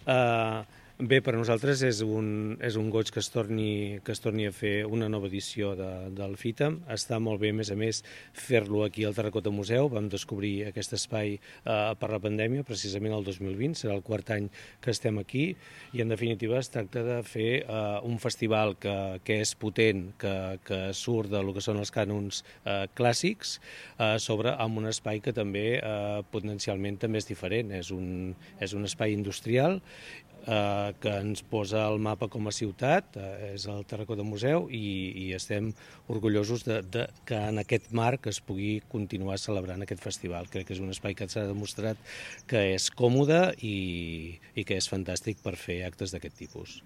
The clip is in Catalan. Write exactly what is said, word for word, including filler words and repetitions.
Uh, Bé, per a nosaltres és un, és un goig que es, torni, que es torni a fer una nova edició de, del FITAM. Està molt bé, a més a més, fer-lo aquí al Terracota Museu. Vam descobrir aquest espai eh, per la pandèmia, precisament el dos mil vint, serà el quart any que estem aquí, i en definitiva es tracta de fer eh, un festival que, que és potent, que, que surt del que són els cànons eh, clàssics, eh, sobre amb un espai que també eh, potencialment també és diferent. És un, és un espai industrial eh, que ens posa el mapa com a ciutat, eh, és el Terracota Museu, i, i estem orgullosos de, de que en aquest marc es pugui continuar celebrant aquest festival. Crec que és un espai que s'ha demostrat que és còmode i, i que és fantàstic per fer actes d'aquest tipus.